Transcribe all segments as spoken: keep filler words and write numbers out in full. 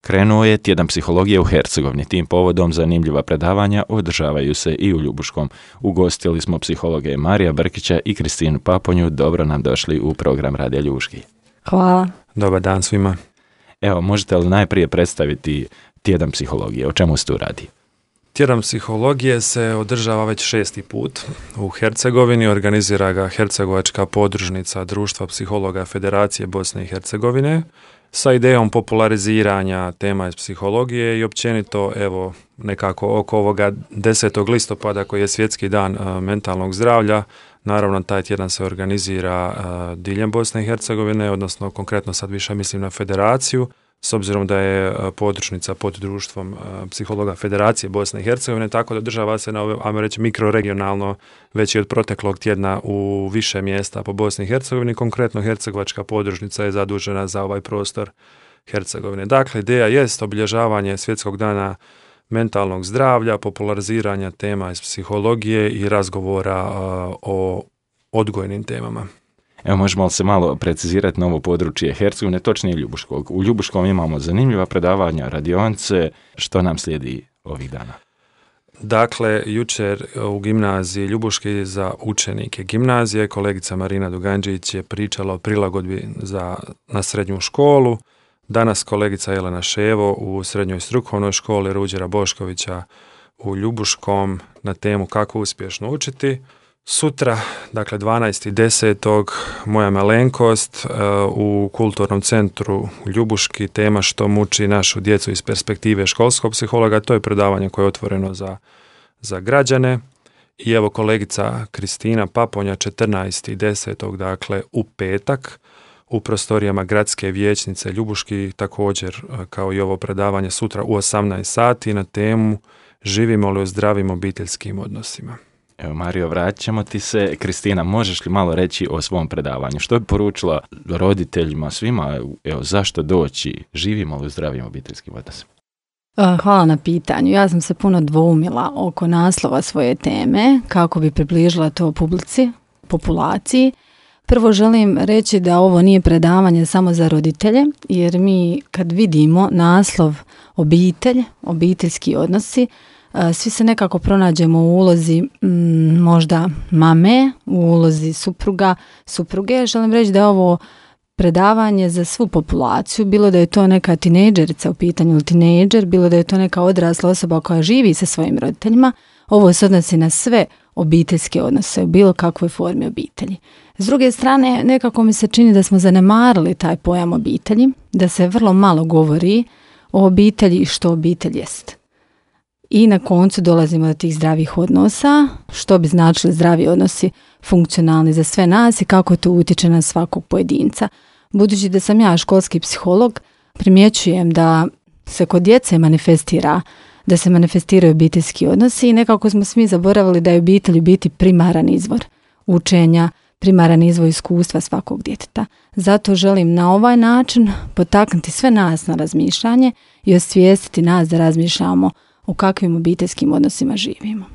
Krenuo je tjedan psihologije u Hercegovini. Tim povodom zanimljiva predavanja održavaju se i u Ljubuškom. Ugostili smo psihologe Marija Brkića i Kristinu Paponju. Dobro nam došli u program Radija Ljubuški. Hvala. Dobar dan svima. Evo, možete li najprije predstaviti tjedan psihologije? O čemu se tu radi? Tjedan psihologije se održava već šesti put u Hercegovini. Organizira ga Hercegovačka podružnica Društva psihologa Federacije Bosne i Hercegovine sa idejom populariziranja tema iz psihologije i općenito evo nekako oko ovoga desetog listopada koji je svjetski dan uh, mentalnog zdravlja. Naravno, taj tjedan se organizira uh, diljem Bosne i Hercegovine, odnosno konkretno sad više mislim na federaciju, s obzirom da je uh, podružnica pod društvom uh, psihologa Federacije Bosne i Hercegovine, tako da održava se na ove, ajmo reći, mikroregionalno već i od proteklog tjedna u više mjesta po Bosni i Hercegovini. Konkretno Hercegovačka podružnica je zadužena za ovaj prostor Hercegovine. Dakle, ideja jest obilježavanje svjetskog dana mentalnog zdravlja, populariziranja tema iz psihologije i razgovora uh, o odgojnim temama. Evo, možemo li se malo precizirati na ovo područje Hercegovine, točnije Ljubuškog? U Ljubuškom imamo zanimljiva predavanja, radionice. Što nam slijedi ovih dana? Dakle, jučer u gimnaziji Ljubuški za učenike gimnazije kolegica Marina Duganđić je pričala o prilagodbi za, na srednju školu. Danas kolegica Jelena Ševo u srednjoj strukovnoj školi Ruđera Boškovića u Ljubuškom na temu kako uspješno učiti. Sutra, dakle dvanaestog desetog moja malenkost u kulturnom centru Ljubuški, tema što muči našu djecu iz perspektive školskog psihologa. To je predavanje koje je otvoreno za, za građane. I evo kolegica Kristina Paponja četrnaestog desetog dakle u petak u prostorijama gradske vijećnice Ljubuški, također kao i ovo predavanje sutra u osamnaest sati na temu živimo li u zdravim obiteljskim odnosima. Evo, Mario, vraćamo ti se. Kristina, možeš li malo reći o svom predavanju? Što bi poručila roditeljima, svima, evo, zašto doći? Živimo li u zdravim obiteljskim odnosima? Hvala na pitanju. Ja sam se puno dvoumila oko naslova svoje teme, kako bi približila to publici, populaciji. Prvo želim reći da ovo nije predavanje samo za roditelje, jer mi kad vidimo naslov obitelj, obiteljski odnosi, svi se nekako pronađemo u ulozi m, možda mame, u ulozi supruga, supruge. Želim reći da je ovo predavanje za svu populaciju, bilo da je to neka tinejdžerica u pitanju ili tinejdžer, bilo da je to neka odrasla osoba koja živi sa svojim roditeljima. Ovo se odnosi na sve obiteljske odnose u bilo kakvoj formi obitelji. S druge strane, nekako mi se čini da smo zanemarili taj pojam obitelji, da se vrlo malo govori o obitelji i što obitelj jest. I na koncu dolazimo do tih zdravih odnosa, što bi značili zdravi odnosi funkcionalni za sve nas i kako to utječe na svakog pojedinca. Budući da sam ja školski psiholog, primjećujem da se kod djece manifestira, da se manifestiraju obiteljski odnosi i nekako smo svi zaboravili da je obitelj biti primaran izvor učenja, primaran izvor iskustva svakog djeteta. Zato želim na ovaj način potaknuti sve nas na razmišljanje i osvijestiti nas da razmišljamo u kakvim obiteljskim odnosima živimo.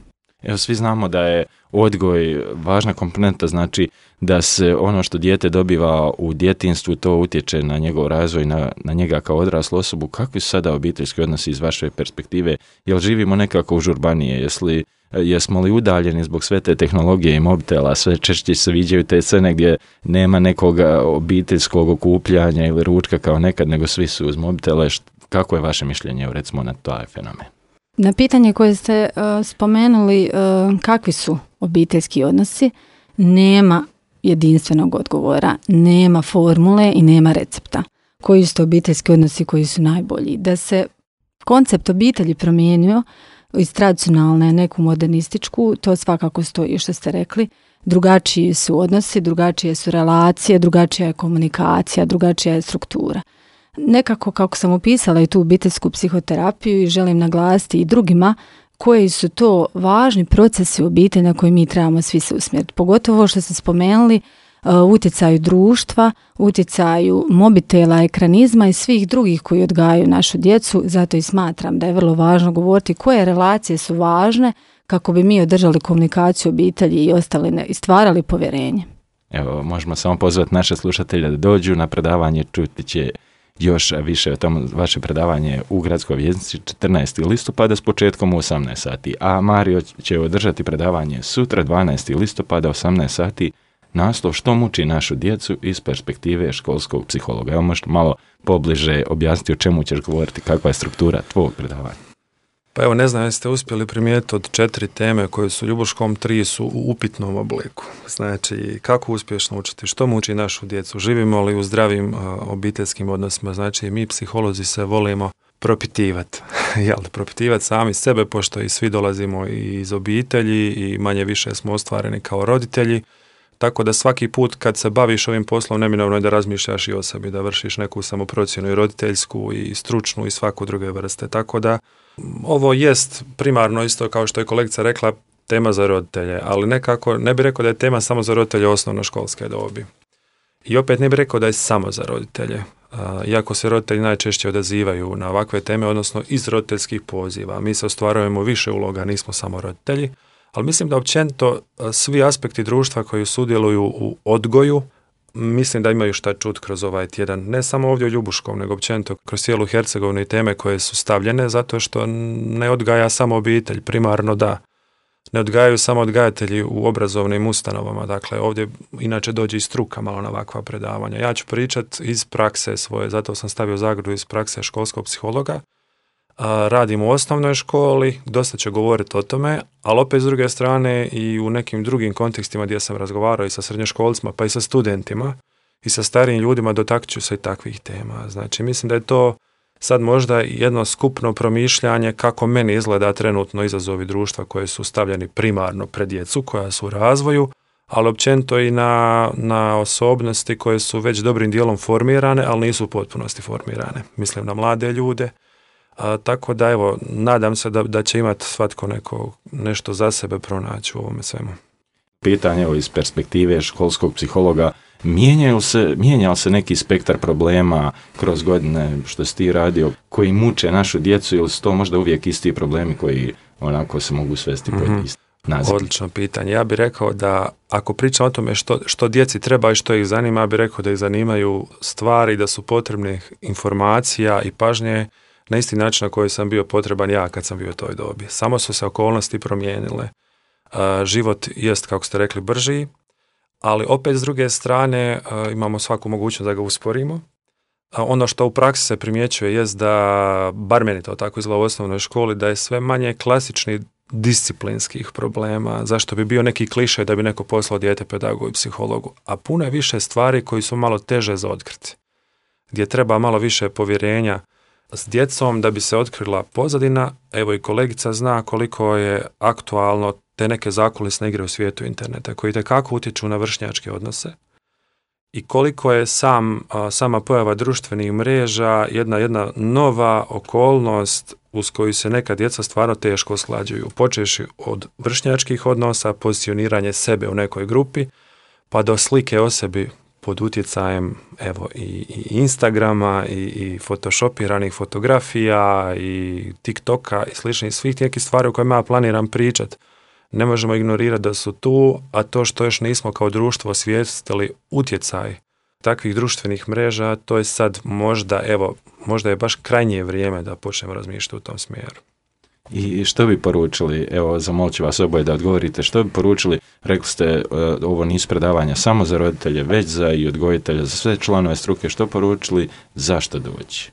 Evo, svi znamo da je odgoj važna komponenta, znači da se ono što dijete dobiva u djetinjstvu, to utječe na njegov razvoj, na, na njega kao odraslu osobu. Kakvi su sada obiteljski odnosi iz vaše perspektive? Jel živimo nekako užurbanije? Jesli, jesmo li udaljeni zbog sve te tehnologije i mobitela? Sve češće se viđaju te scene gdje nema nekog obiteljskog okupljanja ili ručka kao nekad, nego svi su uz mobitele. Kako je vaše mišljenje, recimo, na taj fenomen? Na pitanje koje ste uh, spomenuli, uh, kakvi su obiteljski odnosi, nema jedinstvenog odgovora, nema formule i nema recepta. Koji su to obiteljski odnosi koji su najbolji? Da se koncept obitelji promijenio iz tradicionalne neku modernističku, to svakako stoji što ste rekli. Drugačiji su odnosi, drugačije su relacije, drugačija je komunikacija, drugačija je struktura. Nekako kako sam opisala i tu obiteljsku psihoterapiju i želim naglasiti i drugima koji su to važni procesi u obitelji na koje mi trebamo svi se usmjeriti. Pogotovo što ste spomenuli uh, utjecaju društva, utjecaju mobitela, ekranizma i svih drugih koji odgajaju našu djecu. Zato i smatram da je vrlo važno govoriti koje relacije su važne kako bi mi održali komunikaciju obitelji i ostali i stvarali povjerenje. Evo, možemo samo pozvati naše slušatelje da dođu na predavanje, čuti će još više o tom vaše predavanje u Gradskoj vijećnici četrnaestog listopada s početkom u osamnaest sati, a Mario će održati predavanje sutra dvanaestog listopada osamnaest sati, naslov Što muči našu djecu iz perspektive školskog psihologa. Evo možete malo pobliže objasniti o čemu ćeš govoriti, kakva je struktura tvojeg predavanja. Pa evo, ne znam jeste uspjeli primijetiti od četiri teme koje su u Ljubuškom, tri su u upitnom obliku. Znači, kako uspješno učiti, što muči našu djecu, živimo li u zdravim uh, obiteljskim odnosima. Znači, mi psiholozi se volimo propitivati, jel, propitivati sami sebe, pošto i svi dolazimo iz obitelji i manje više smo ostvareni kao roditelji. Tako da svaki put kad se baviš ovim poslom, neminovno je da razmišljaš i o sebi, da vršiš neku samoprocjenu i roditeljsku i stručnu i svaku druge vrste. Tako da ovo jest primarno isto kao što je kolegica rekla tema za roditelje, ali nekako ne bih rekao da je tema samo za roditelje osnovnoškolske dobi. I opet ne bih rekao da je samo za roditelje, iako se roditelji najčešće odazivaju na ovakve teme, odnosno iz roditeljskih poziva. Mi se ostvarujemo više uloga, nismo samo roditelji. Ali mislim da općenito svi aspekti društva koji sudjeluju u odgoju, mislim da imaju šta čut kroz ovaj tjedan. Ne samo ovdje u Ljubuškom, nego općenito kroz cijelu Hercegovinu i teme koje su stavljene, zato što ne odgaja samo obitelj, primarno da. Ne odgajaju samo odgajatelji u obrazovnim ustanovama, dakle ovdje inače dođe i struka malo na ovakva predavanja. Ja ću pričat iz prakse svoje, zato sam stavio zagradu iz prakse školskog psihologa. Radim u osnovnoj školi, dosta ću govoriti o tome, ali opet s druge strane i u nekim drugim kontekstima gdje sam razgovarao i sa srednjoškolcima, pa i sa studentima i sa starijim ljudima, dotaknut ću se i takvih tema. Znači, mislim da je to sad možda jedno skupno promišljanje kako meni izgleda trenutno izazovi društva koje su stavljeni primarno pred djecu, koja su u razvoju, ali općenito i na, na osobnosti koje su već dobrim dijelom formirane, ali nisu u potpunosti formirane. Mislim na mlade ljude. A, tako da evo, nadam se da, da će imati svatko neko nešto za sebe pronaći u ovome svemu. Pitanje evo, iz perspektive školskog psihologa, mijenjaju se, mijenjao se neki spektar problema kroz godine što si ti radio, koji muče našu djecu, ili su to možda uvijek isti problemi koji onako se mogu svesti mm-hmm. pod isti naziv? Odlično pitanje. Ja bih rekao da ako pričam o tome što, što djeci treba i što ih zanima, ja bih rekao da ih zanimaju stvari, da su potrebne informacija i pažnje na isti način na koji sam bio potreban ja kad sam bio u toj dobi. Samo su se okolnosti promijenile. Uh, život jest, kako ste rekli, brži, ali opet s druge strane uh, imamo svaku mogućnost da ga usporimo. Uh, ono što u praksi se primjećuje jest da, bar meni to tako izgleda u osnovnoj školi, da je sve manje klasičnih disciplinskih problema, zašto bi bio neki klišej da bi neko poslao dijete pedagogu i psihologu, a puno je više stvari koji su malo teže za otkriti, gdje treba malo više povjerenja s djecom da bi se otkrila pozadina. Evo i kolegica zna koliko je aktualno te neke zakulisne igre u svijetu interneta koji itekako utječu na vršnjačke odnose i koliko je sam, sama pojava društvenih mreža jedna, jedna nova okolnost uz koju se neka djeca stvarno teško usklađuju, počevši od vršnjačkih odnosa, pozicioniranje sebe u nekoj grupi, pa do slike o sebi pod utjecajem evo i, i Instagrama i, i photoshopiranih fotografija i TikToka i sličnih svih nekih stvari o kojima ja planiram pričat. Ne možemo ignorirati da su tu, a to što još nismo kao društvo osvijestili utjecaj takvih društvenih mreža, to je sad možda, evo, možda je baš krajnje vrijeme da počnemo razmišljati u tom smjeru. I što bi poručili, evo zamolit ću vas oboje da odgovorite, što bi poručili, rekli ste ovo nisu predavanja samo za roditelje, već za i odgojitelje, za sve članove struke, što poručili, zašto doći?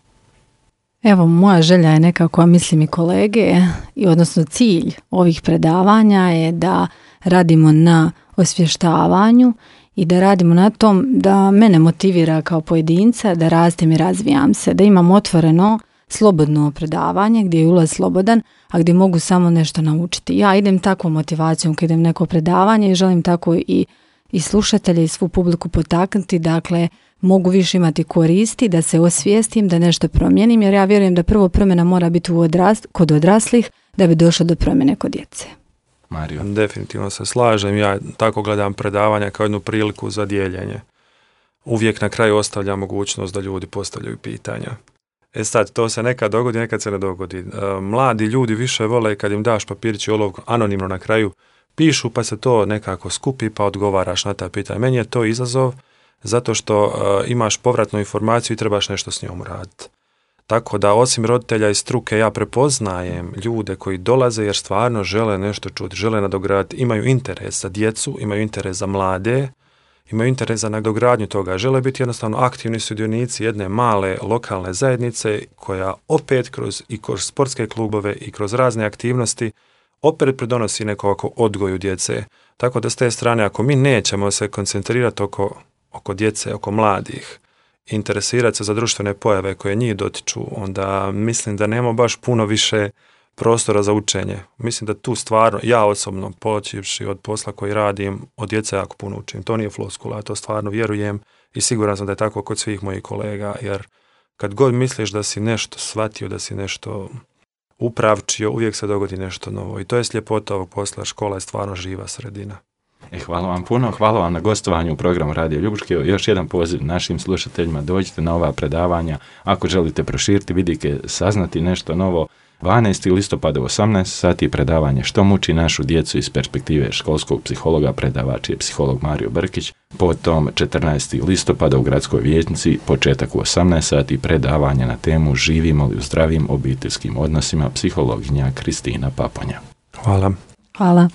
Evo, moja želja je nekako, a mislim i kolege, i odnosno cilj ovih predavanja je da radimo na osvještavanju i da radimo na tom da mene motivira kao pojedinca, da rastem i razvijam se, da imam otvoreno slobodno predavanje gdje je ulaz slobodan, a gdje mogu samo nešto naučiti. Ja idem takvom motivacijom kad idem neko predavanje i želim tako i, i slušatelje i svu publiku potaknuti, dakle mogu više imati koristi, da se osvijestim, da nešto promijenim, jer ja vjerujem da prvo promjena mora biti u odrast, kod odraslih da bi došlo do promjene kod djece. Mario. Definitivno se slažem, ja tako gledam predavanja kao jednu priliku za dijeljenje. Uvijek na kraju ostavljam mogućnost da ljudi postavljaju pitanja. E sad, to se nekad dogodi, nekad se ne dogodi. E, mladi ljudi više vole kad im daš papirić i olovku anonimno na kraju, pišu pa se to nekako skupi pa odgovaraš na ta pitanja. Meni je to izazov zato što uh, imaš povratnu informaciju i trebaš nešto s njom raditi. Tako da osim roditelja i struke ja prepoznajem ljude koji dolaze jer stvarno žele nešto čuti, žele nadograditi, imaju interes za djecu, imaju interes za mlade, imaju interes za nadogradnju toga, žele biti jednostavno aktivni sudionici jedne male lokalne zajednice koja opet kroz i kroz sportske klubove i kroz razne aktivnosti opet pridonosi nekako odgoju djece. Tako da s te strane ako mi nećemo se koncentrirati oko, oko djece, oko mladih, interesirati se za društvene pojave koje njih dotiču, onda mislim da nemamo baš puno više prostora za učenje. Mislim da tu stvarno, ja osobno, počivši od posla koji radim, od djece jako puno učim. To nije floskula, ja to stvarno vjerujem i siguran sam da je tako kod svih mojih kolega, jer kad god misliš da si nešto shvatio, da si nešto upravčio, uvijek se dogodi nešto novo. I to je ljepota ovog posla, škola je stvarno živa sredina. E, hvala vam puno, hvala vam na gostovanju u programu Radio Ljubuški. Još jedan poziv našim slušateljima, dođite na ova predavanja. Ako želite proširiti vidike, saznati nešto novo, dvanaestog listopada u osamnaest sati predavanje Što muči našu djecu iz perspektive školskog psihologa, predavač je psiholog Mario Brkić. Potom četrnaestog listopada u gradskoj vijećnici, početak u osamnaest sati, predavanje na temu Živimo li u zdravim obiteljskim odnosima, psihologinja Kristina Paponja. Hvala. Hvala.